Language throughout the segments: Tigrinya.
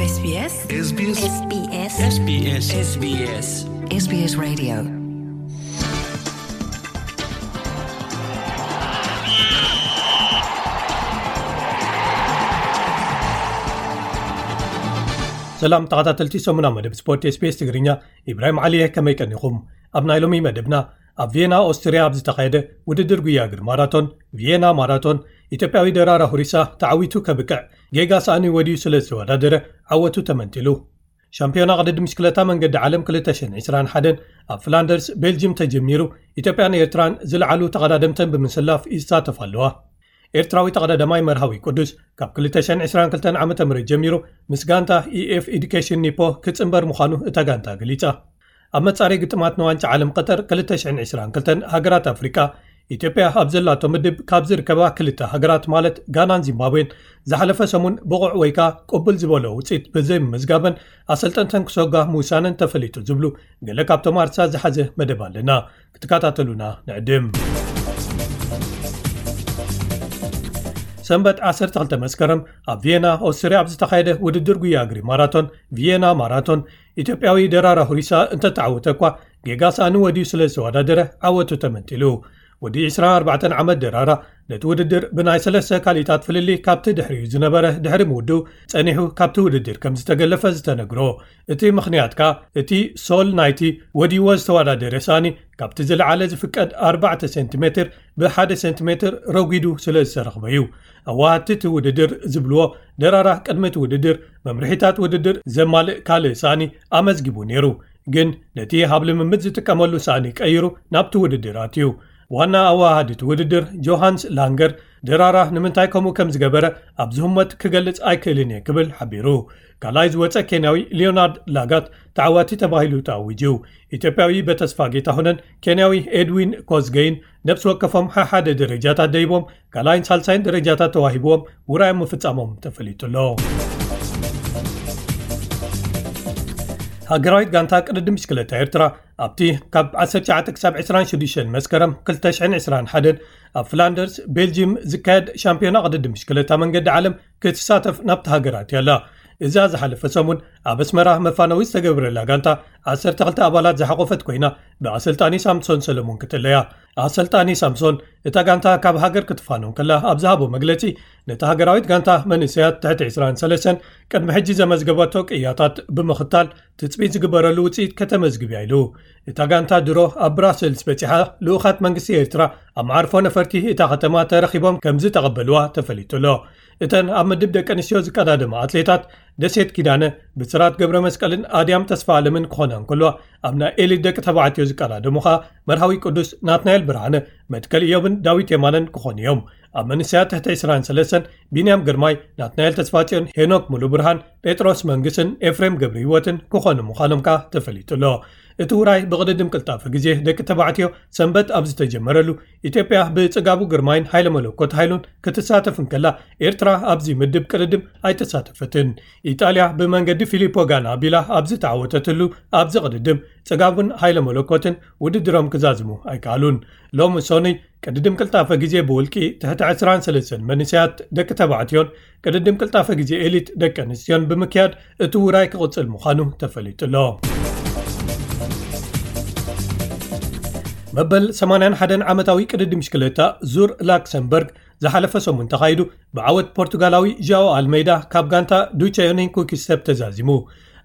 SBS SBS SBS SBS SBS SBS Radio. ሰላም ተኸታተልቲ ሰሙና መደብ ስፖርት SBS ትግርኛ፣ ኢብራሂም ዓሊ እየ። ከመይ ቀኒኹም? ኣብ ናይ ሎሚ መደብና፣ ኣብ ቪየና ኦስትርያ ኣብ ዝተኻየደ ውድድር ጉያ እግሪ ማራቶን፣ ቪየና ማራቶን፣ ኢትዮጵያዊ ደራራ ሁሪሳ ተዓዊቱ ከብቅዕ ጌጋ ሳእኒ ወዲዩ ስለ ዝተወዳደረ ዓወቱ ተመንጢሉ። ሻምፒዮና ቅድድም ብሽክለታ መንገዲ ዓለም ክልተ ሽሕን ዕስራን ሓደን ኣብ ፍላንደርስ ቤልጅም ተጀሚሩ፣ ኢትዮጵያን ኤርትራን ዝለዓሉ ተቐዳደምተን ብምስላፍ ይሳተፋ ኣለዋ። ኤርትራዊ ተቐዳዳማይ መርሃዊ ቅዱስ ካብ ክልተ ሽሕን ዕስራን ክልተን ዓመተ ምህረት ጀሚሩ ምስ ጋንታ ኢኤፍ ኤዱኬሽን ኒፖ ክጽንበር ምዃኑ እታ ጋንታ ገሊጻ። ኣብ መጻረይ ግጥማት ንዋንጫ ዓለም ቀጠር ክልተ ሽሕን ዕስራን ክልተን ሃገራት ኣፍሪቃ፣ ኢትዮጵያ ኣብ ዘላቶ ምድብ ካብ ዝርከባ ክልተ ሃገራት ማለት ጋናን ዚምባብዌን ዝሓለፈ ሰሙን ብቑዕ ወይ ከኣ ቅቡል ዝበሎ ውጽኢት ብዘይምምዝጋበን ኣሰልጠንተን ክሰጓ ምውሳነን ተፈሊጡ ዝብሉ ገለ ካብቶም ኣርሳ ዝሓዘ መደብ ኣለና። ክትከታተሉና ንዕድም። ሰንበት ዓሰርተ ክልተ መስከረም ኣብ ቪየና ኦስትርያ ኣብ ዝተኻየደ ውድድር ጉያ እግሪ ማራቶን፣ ቪየና ማራቶን፣ ኢትዮጵያዊ ደራራ ሁሪሳ እንተተዓወተ እኳ ጌጋ ሳእኒ ወዲዩ ስለ ዝተወዳደረ ዓወቱ ተመንጢሉ። ወዲ ዕስራን ኣርባዕተን ዓመት ደራራ ነቲ ውድድር ብናይ ሰለስተ ካልኢታት ፍልልይ ካብቲ ድሕሪኡ ዝነበረ ድሕሪ ምውድኡ ጸኒሑ ካብቲ ውድድር ከም ዝተገለፈ ዝተነግሮ። እቲ ምኽንያት ከኣ እቲ ሶል ናይቲ ወዲዎ ዝተወዳደረ ሳእኒ ካብቲ ዝለዓለ ዝፍቀድ ኣርባዕተ ሴንቲሜትር ብሓደ ሴንቲሜትር ረጒዱ ስለ ዝተረኽበ እዩ። ኣዋሃድቲ እቲ ውድድር ዝብልዎ፣ ደራራ ቅድሚ እቲ ውድድር መምርሒታት ውድድር ዘማልእ ካልእ ሳእኒ ኣመዝጊቡ ነይሩ፣ ግን ነቲ ኣብ ልምምድ ዝጥቀመሉ ሳእኒ ቀይሩ ናብቲ ውድድር ኣትዩ። ዋና ኣዋሃዲ እቲ ውድድር ጆሃንስ ላንገር፣ ደራራ ንምንታይ ከምኡ ከም ዝገበረ ኣብ ዝህመት ክገልጽ ኣይክእልን እየ ክብል ሓቢሩ። ካልኣይ ዝወጸ ኬንያዊ ሊዮናርድ ላጋት ተዓዋቲ ተባሂሉ ተኣዊጁ። ኢትዮጵያዊ በተስፋ ጌታሁንን ኬንያዊ ኤድዊን ኮዝገይን ነብሲ ወከፎም ሓሓደ ደረጃታት ደይቦም ካልኣይን ሳልሳይን ደረጃታት ተዋሂብዎም ውራዮም ምፍጻሞም ተፈሊጡ ኣሎ። ሃገራዊት ጋንታ ቅድድም ብሽክለታ ኤርትራ ኣብቲ ካብ ዓሰርተ ትሽዓተ ክሳብ ዕስራን ሽዱሽተን መስከረም ክልተ ሽሕን ዕስራን ሓደን ኣብ ፍላንደርስ ቤልጅም ዝካየድ ሻምፒዮና ቅድድም ብሽክለታ መንገዲ ዓለም ክትሳተፍ ናብቲ ሃገር ኣትያ ኣላ። እዛ ዝሓለፈ ሰሙን ኣብ ኣስመራ መፋነዊ ዝተገብረላ ጋንታ ዓሰርተ ክልተ ኣባላት ዝሓቖፈት ኮይና፣ ብኣሰልጣኒ ሳምሶን ሰለሙን ክትእለያ። ኣሰልጣኒ ሳምሶን እታ ጋንታ ካብ ሃገር ክትፋኖ ከላ ኣብ ዝሃቦ መግለጺ፣ ነታ ሃገራዊት ጋንታ መንእሰያት ትሕቲ ዕስራን ሰለስተን ቅድሚ ሕጂ ዘመዝገበቶ ቅያታት ብምኽታል ትጽቢት ዝግበረሉ ውጽኢት ከተመዝግብ እያ ኢሉ። እታ ጋንታ ድሮ ኣብ ብራሰልስ በጺሓ፣ ልኡኻት መንግስቲ ኤርትራ ኣብ መዓርፎ ነፈርቲ እታ ከተማ ተረኺቦም ከም ዝተቐበልዋ ተፈሊጡ ኣሎ። እተን ኣብ ምድብ ደቂ ኣንስትዮ ዝቀዳደማ ኣትሌታት ደሴት ኪዳነ፣ ብስራት ገብረ መስቀልን ኣድያም ተስፋ ኣለምን ክኾና እንከልዋ፣ ኣብ ናይ ኤሊት ደቂ ተባዕትዮ ዝቀዳደሙ ኸኣ መርሃዊ ቅዱስ፣ ናትናኤል ብርሃነ፣ መትከል ኢዮብን ዳዊት የማነን ክኾኑ እዮም። ኣብ መንእሰያት ትሕቲ ዕስራን ሰለስተን ቢንያም ግርማይ፣ ናትናኤል ተስፋጽዮን፣ ሄኖክ ሙሉ ብርሃን፣ ጴጥሮስ መንግስን ኤፍሬም ገብረ ህይወትን ክኾኑ ምዃኖም ከኣ ተፈሊጡ ኣሎ። እቲ ውራይ ብቕድድም ቅልጣፈ ግዜ ደቂ ተባዕትዮ ሰንበት ኣብ ዝተጀመረሉ፣ ኢትዮጵያ ብጽጋቡ ግርማይን ሃይለ መለኮት ሃይሉን ክትሳተፍ እንከላ፣ ኤርትራ ኣብዚ ምድብ ቅድድም ኣይተሳተፈትን። ኢጣልያ ብመንገዲ ፊሊፖ ጋና ኣቢላ ኣብ ዝተዓወተትሉ ኣብዚ ቅድድም፣ ጽጋቡን ሃይለ መለኮትን ውድድሮም ክዛዝሙ ኣይከኣሉን። ሎሚ ሶኑይ ቅድድም ቅልጣፈ ግዜ ብውልቂ ትሕቲ ዕስራን ሰለስተን መንእሰያት ደቂ ተባዕትዮን ቅድድም ቅልጣፈ ግዜ ኤሊት ደቂ ኣንስትዮን ብምክያድ እቲ ውራይ ክቕጽል ምዃኑ ተፈሊጡ ኣሎ። መበል ሰማንያን ሓደን ዓመታዊ ቅድድም ብሽክለታ ዙር ላክሰምበርግ ዝሓለፈ ሰሙን ተኻይዱ ብዓወት ፖርቱጋላዊ ዣኦ ኣልሜይዳ ካብ ጋንታ ዱቸዮኒን ኩኪስተፕ ተዛዚሙ።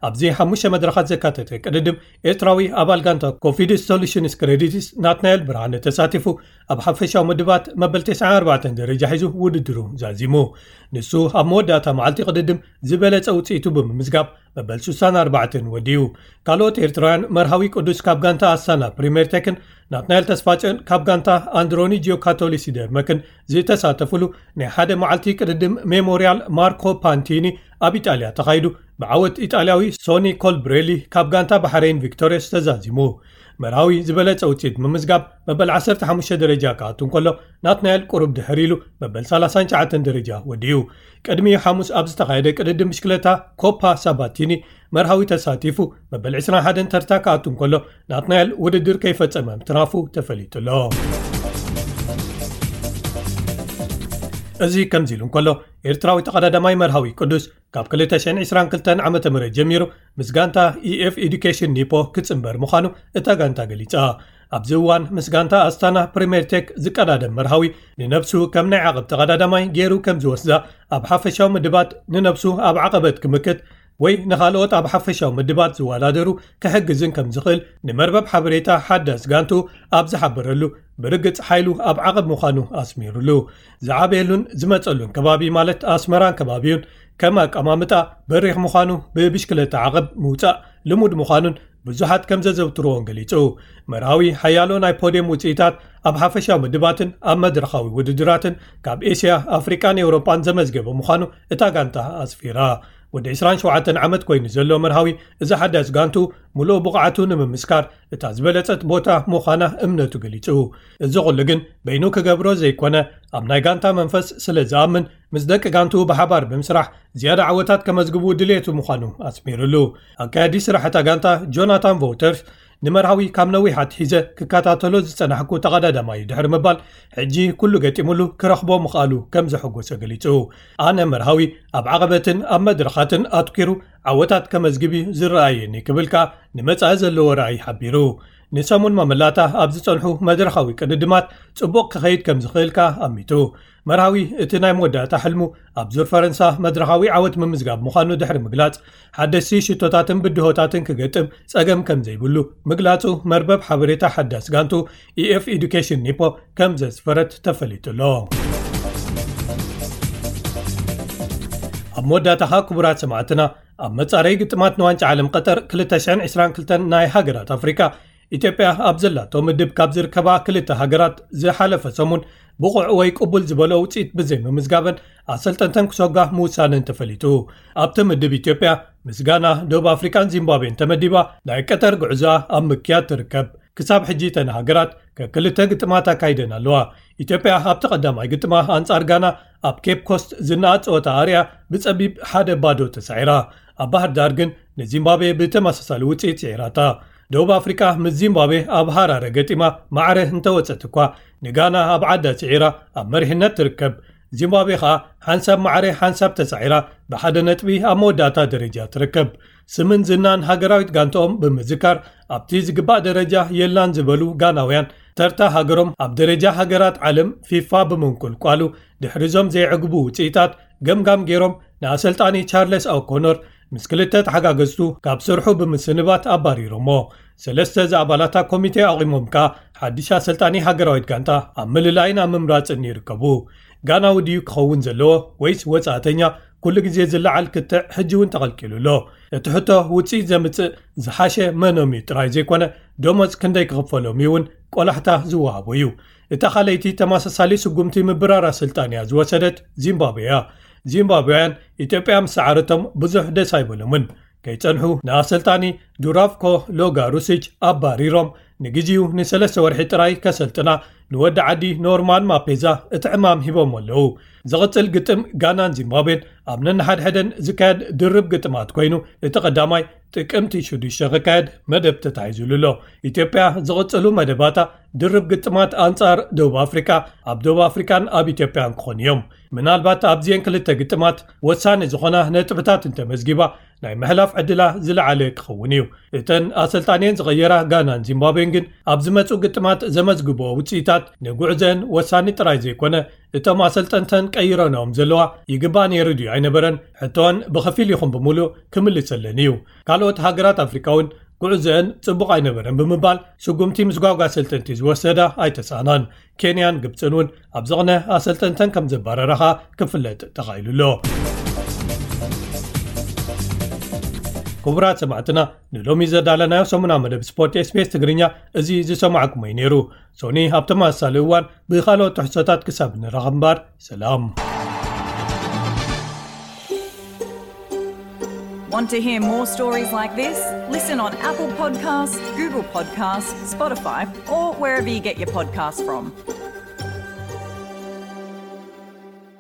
ኣብዚ ሓሙሽተ መድረኻት ዘካተተ ቅድድም ኤርትራዊ ኣባል ጋንታ ኮፊድስ ሶሉሽንስ ክሬዲትስ ናትናኤል ብርሃነ ተሳቲፉ ኣብ ሓፈሻዊ ምድባት መበል ተስዓን ኣርባዕተን ደረጃ ሒዙ ውድድሩ ዛዚሙ። ንሱ ኣብ መወዳእታ መዓልቲ ቅድድም ዝበለጸ ውጽኢቱ ብምምዝጋብ መበል ስሳን ኣርባዕተን ወዲኡ። ካልኦት ኤርትራውያን መርሃዊ ቅዱስ ካብ ጋንታ ኣስታና ፕሪሜር ቴክን ናትናኤል ተስፋጽዮን ካብ ጋንታ ኣንድሮኒ ጂዮካቶሊ ሲደርመክን ዝተሳተፉሉ ናይ ሓደ መዓልቲ ቅድድም ሜሞርያል ማርኮ ፓንቲኒ ኣብ ኢጣልያ ተኻይዱ ብዓወት ኢጣልያዊ ሶኒ ኮልብሬሊ ካብ ጋንታ ባሕሬን ቪክቶሪየስ ተዛዚሙ። መርሃዊ ዝበለጸ ውጽኢት ምምዝጋብ መበል ዓሰርተ ሓሙሽተ ደረጃ ክኣቱ እንከሎ ናትናኤል ቁሩብ ድሕር ኢሉ መበል ሰላሳን ትሽዓተን ደረጃ ወዲኡ። ቅድሚ ሓሙስ ኣብ ዝተኻየደ ቅድድም ብሽክለታ ኮፓ ሳባቲኒ መርሃዊ ተሳቲፉ መበል ዕስራን ሓደን ተርታ ክኣቱ እንከሎ ናትናኤል ውድድር ከይፈጸመ ምትራፉ ተፈሊጡ ኣሎ። እዚ ከምዚ ኢሉ እንከሎ፣ ኤርትራዊ ተቐዳዳማይ መርሃዊ ቅዱስ ካብ ክልተ ሽሕን ዕስራን ክልተን ዓመተ ምህረት ጀሚሩ ምስ ጋንታ ኢኤፍ ኤዱኬሽን ኒፖ ክጽንበር ምዃኑ እታ ጋንታ ገሊጻ። ኣብዚ እዋን ምስ ጋንታ ኣስታና ፕሪምየር ቴክ ዝቀዳደም መርሃዊ፣ ንነብሱ ከም ናይ ዓቐብ ተቐዳዳማይ ገይሩ ከም ዝወስዳ፣ ኣብ ሓፈሻዊ ምድባት ንነብሱ ኣብ ዓቐበት ክምክት ወይ ንኻልኦት ኣብ ሓፈሻዊ ምድባት ዝወዳደሩ ክሕግዝን ከም ዝኽእል ንመርበብ ሓበሬታ ሓዳስ ጋንቱ ኣብ ዝሓበረሉ፣ ብርግጽ ሓይሉ ኣብ ዓቐብ ምዃኑ ኣስሚሩሉ። ዝዓበየሉን ዝመጸሉን ከባቢ ማለት ኣስመራን ከባቢኡን ከም ኣቀማምጣ በሪኽ ምዃኑ፣ ብብሽክለታ ዓቐብ ምውጻእ ልሙድ ምዃኑን ብዙሓት ከም ዘዘውትርዎን ገሊጹ። መርሃዊ ሓያሎ ናይ ፖድየም ውጽኢታት ኣብ ሓፈሻዊ ምድባትን ኣብ መድረኻዊ ውድድራትን ካብ ኤስያ፣ ኣፍሪቃን ኤውሮጳን ዘመዝገበ ምዃኑ እታ ጋንታ ኣስፊራ። ወዲ ዕስራን ሸውዓተን ዓመት ኮይኑ ዘሎ መርሃዊ፣ እዚ ሓዳስ ጋንቱ ምሉእ ብቕዓቱ ንምምስካር እታ ዝበለጸት ቦታ ምዃና እምነቱ ገሊጹ። እዚ ኩሉ ግን በይኑ ክገብሮ ዘይኮነ፣ ኣብ ናይ ጋንታ መንፈስ ስለ ዝኣምን፣ ምስ ደቂ ጋንቱ ብሓባር ብምስራሕ ዝያዳ ዓወታት ከመዝግቡ ድሌቱ ምዃኑ ኣስሚሩሉ። ኣካያዲ ስራሕ እታ ጋንታ ጆናታን ቮውተርስ፣ ንመርሃዊ ካብ ነዊሕ ኣትሒዘ ክከታተሎ ዝጸናሕኩ ተቐዳዳማይ ድሕሪ ምባል፣ ሕጂ ኩሉ ገጢሙሉ ክረኽቦ ምኽኣሉ ከም ዘሐጎሰ ገሊጹ። ኣነ መርሃዊ ኣብ ዓቐበትን ኣብ መድረኻትን ኣትኪሩ ዓወታት ከመዝግብ እዩ ዝረኣየኒ ክብል ከኣ ንመጻኢ ዘለዎ ራእይ ሓቢሩ። ንሰሙን መመላእታ ኣብ ዝጸንሑ መድረኻዊ ቅድድማት ጽቡቕ ክኸይድ ከም ዝኽእል ከኣ ኣሚቱ። መርሃዊ እቲ ናይ መወዳእታ ሕልሙ ኣብ ዙር ፈረንሳ መድረኻዊ ዓወት ምምዝጋብ ምዃኑ ድሕሪ ምግላጽ፣ ሓደስቲ ሽቶታትን ብድሆታትን ክገጥም ጸገም ከም ዘይብሉ ምግላጹ መርበብ ሓበሬታ ሓዳስ ጋንቱ ኢኤፍ ኤዱኬሽን ኒፖ ከም ዘስፈረት ተፈሊጡ ኣሎ። ኣብ መወዳእታ ከኣ ክቡራት ሰማዕትና፣ ኣብ መጻረይ ግጥማት ንዋንጫ ዓለም ቀጠር ክልተ ሽሕን ዕስራን ክልተን ናይ ሃገራት ኣፍሪቃ፣ ኢትዮጵያ ኣብ ዘላቶ ምድብ ካብ ዝርከባ ክልተ ሃገራት ዝሓለፈ ሰሙን ብቑዕ ወይ ቅቡል ዝበሎ ውጽኢት ብዘይምምዝጋበን ኣሰልጠንተን ክሰጓ ምውሳነን ተፈሊጡ። ኣብቲ ምድብ ኢትዮጵያ ምስ ጋና፣ ደቡብ ኣፍሪቃን ዚምባብዌን ተመዲባ ናይ ቀጠር ጉዕዞኣ ኣብ ምክያድ ትርከብ። ክሳብ ሕጂ እተን ሃገራት ከክልተ ግጥማት ኣካይደን ኣለዋ። ኢትዮጵያ ኣብቲ ቀዳማይ ግጥማ ኣንጻር ጋና ኣብ ኬፕ ኮስት ዝነኣድ ጸወታ ኣርያ ብጸቢብ ሓደ ባዶ ተሳዒራ። ኣብ ባህር ዳር ግን ንዚምባብዌ ብተመሳሳሊ ውጽኢት ስዒራታ። ደቡብ ኣፍሪቃ ምስ ዚምባብዌ ኣብ ሃራረ ገጢማ ማዕረ እንተወጸት እኳ፣ ንጋና ኣብ ዓዳ ስዒራ ኣብ መሪሕነት ትርከብ። ዚምባብዌ ከኣ ሓንሳብ ማዕረ ሓንሳብ ተሳዒራ ብሓደ ነጥቢ ኣብ መወዳእታ ደረጃ ትርከብ። ስምን ዝናን ሃገራዊት ጋንትኦም ብምዝካር፣ ኣብቲ ዝግባእ ደረጃ የላን ዝበሉ ጋናውያን፣ ተርታ ሃገሮም ኣብ ደረጃ ሃገራት ዓለም ፊፋ ብምንቁልቋሉ፣ ድሕሪዞም ዘይዕግቡ ውጽኢታት ገምጋም ገይሮም፣ ንኣሰልጣኒ ቻርለስ ኦኮኖር ምስ ክልተ ተሓጋገዝቱ ካብ ስርሑ ብምስንባት ኣባሪሮሞ። ሰለስተ ዝኣባላታ ኮሚቴ ኣቑሞም ከኣ ሓድሽ ኣሰልጣኒ ሃገራዊት ጋንታ ኣብ ምልላይን ኣብ ምምራጽን ይርከቡ። ጋናዊ ድዩ ክኸውን ዘለዎ ወይስ ወጻእተኛ? ኩሉ ግዜ ዝለዓል ክትዕ ሕጂ እውን ተቐልቂሉ ኣሎ። እቲ ሕቶ ውጽኢት ዘምጽእ ዝሓሸ መኖም እዩ ጥራይ ዘይኮነ፣ ደሞዝ ክንደይ ክኽፈሎም እዩ እውን ቆላሕታ ዝወሃቦ እዩ። እታ ካልኣይቲ ተመሳሳሊ ስጉምቲ ምብራር ኣሰልጣን እያ ዝወሰደት ዚምባብዌ እያ። ዚምባብውያን ኢትዮጵያ ምስ ሰዓረቶም ብዙሕ ደስ ኣይበሎምን። ከይጸንሑ ንኣሰልጣኒ ዱራቭኮ ሎጋ ሩሲች ኣባሪሮም፣ ንግዜኡ ንሰለስተ ወርሒ ጥራይ ከሰልጥና ንወዲ ዓዲ ኖርማን ማፔዛ እቲ ዕማም ሂቦም ኣለዉ። ዝቕጽል ግጥም ጋናን ዚምባብዌን ኣብ ነንሓድሕደን ዝካየድ ድርብ ግጥማት ኮይኑ፣ እቲ ቀዳማይ ጥቅምቲ ሽዱሽተ ክካየድ መደብ ተታሒዙሉ ኣሎ። ኢትዮጵያ ዝቕጽሉ መደባታ ድርብ ግጥማት ኣንጻር ደቡብ ኣፍሪቃ፣ ኣብ ደቡብ ኣፍሪቃን ኣብ ኢትዮጵያን ክኾኑ እዮም። ምናልባት ኣብዚኤን ክልተ ግጥማት ወሳኒ ዝኾና ነጥብታት እንተመዝጊባ፣ ናይ ምሕላፍ ዕድላ ዝለዓለ ክኸውን እዩ። እተን ኣሰልጣኒየን ዝቐየራ ጋናን ዚምባብዌን ግን ኣብ ዝመጹ ግጥማት ዘመዝግብኦ ውጽኢታት ንጉዕዘን ወሳኒ ጥራይ ዘይኮነ፣ እቶም ኣሰልጠንተን ቀይረንኦም ዘለዋ ይግባእ ነይሩ ድዩ ኣይነበረን ሕቶን ብኸፊል ይኹን ብምሉእ ክምልሰለን እዩ። ካልኦት ሃገራት ኣፍሪካ እውን ጉዕዘአን ጽቡቕ ኣይነበረን ብምባል ስጉምቲ ምስጓጓ ኣሰልጠንቲ ዝወሰዳ ኣይተሳእናን። ኬንያን ግብጽን እውን ኣብ ዝቕነ ኣሰልጠንተን ከም ዘባረራኻ ክፍለጥ ተኻኢሉ ኣሎ። ክቡራት ሰማዕትና፣ ንሎሚ ዘዳለናዮ ሰሙና መደብ ስፖርት ኤስቢኤስ ትግርኛ እዚ ዝሰማዕኩሞ እዩ ነይሩ። ሶኒ ኣብ ተመሳሳሊ እዋን ብኻልኦት ትሕዝቶታት ክሳብ ንራኸብ እምበር፣ ሰላም። Want to hear more stories like this? Listen on Apple Podcasts, Google Podcasts, Spotify, or wherever you get your podcasts from.